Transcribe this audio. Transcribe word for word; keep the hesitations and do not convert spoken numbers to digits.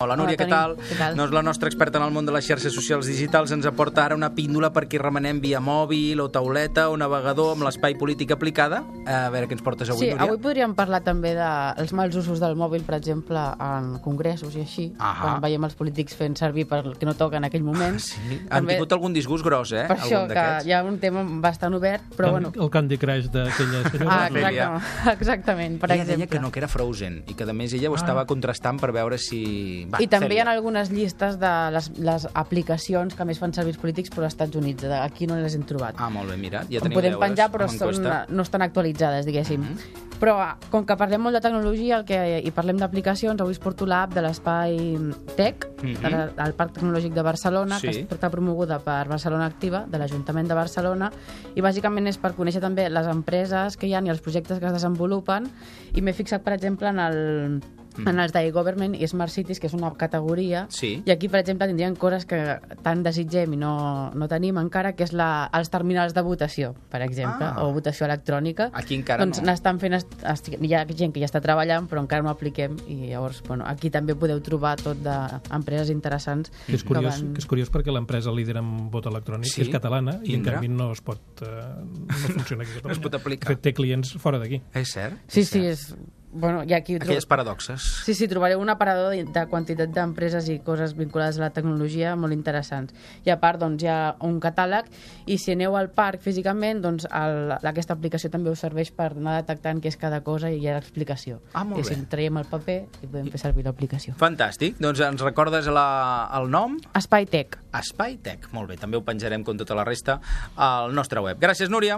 Hola, Núria, Hola, què tal? què tal? Doncs la nostra experta en el món de les xarxes socials digitals ens aporta ara una píndola perquè remenem via mòbil o tauleta o navegador amb l'espai polític aplicada. A veure què ens portes avui, Sí, Núria. avui podríem parlar també dels mals usos del mòbil, per exemple, en congressos i així, Ahà. quan veiem els polítics fent servir per el que no toca en aquell moment. Sí, han tingut algun disgust gros, eh? Per això, algun que d'aquests. hi ha un tema bastant obert, però bueno... El Candy Crush d'aquella senyora. Ah, Ophelia. exactament, exactament, per Ella deia exemple. que no, que era Frozen, i que a més ella ho Ah. estava contrastant per veure si... Va, I també hi fem-ho. ha algunes llistes de les, les aplicacions que més fan servir els polítics però als Estats Units. De- Aquí no les hem trobat. Ah, molt bé, mira, ja En teniu podem deures penjar, però amb són, enquesta. no estan actualitzades, diguéssim. Mhm. Però, com que parlem molt de tecnologia el que, i parlem d'aplicacions, avui us porto l'app de l'Espai Tech, Mhm. de la- del Parc Tecnològic de Barcelona, Sí. que està promoguda per Barcelona Activa, de l'Ajuntament de Barcelona, i bàsicament és per conèixer també les empreses que hi ha i els projectes que es desenvolupen, i m'he fixat, per exemple, en el en els d'iGovernment i Smart Cities, que és una categoria, Sí. i aquí, per exemple, tindrien coses que tant desitgem i no, no tenim encara, que és la, els terminals de votació, per exemple, Ah. o votació electrònica. Aquí encara doncs no. n'estan fent, est- est- hi ha gent que ja està treballant, però encara no apliquem, i llavors, bueno, aquí també podeu trobar tot d'empreses interessants. Que és curiós, van- que és curiós perquè l'empresa líder en vot electrònic Sí? és catalana i en Indra? canvi no es pot eh, no funciona aquí a Catalunya. No es pot aplicar. De fet, té clients fora d'aquí. És cert? Sí, és sí, cert. és... Bueno, i aquí... tro- Aquelles paradoxes. Sí, sí, trobareu un aparador de, de quantitat d'empreses i coses vinculades a la tecnologia molt interessants. I a part, doncs, hi ha un catàleg, i si aneu al parc físicament, doncs el, aquesta aplicació també us serveix per anar detectant què és cada cosa i hi ha l'explicació. Ah, molt I bé. si traiem el paper i podem fer servir l'aplicació. Fantàstic. Doncs ens recordes la, el nom? Espai Tech. Espai Tech. Molt bé, també ho penjarem com tota la resta al nostre web. Gràcies, Núria.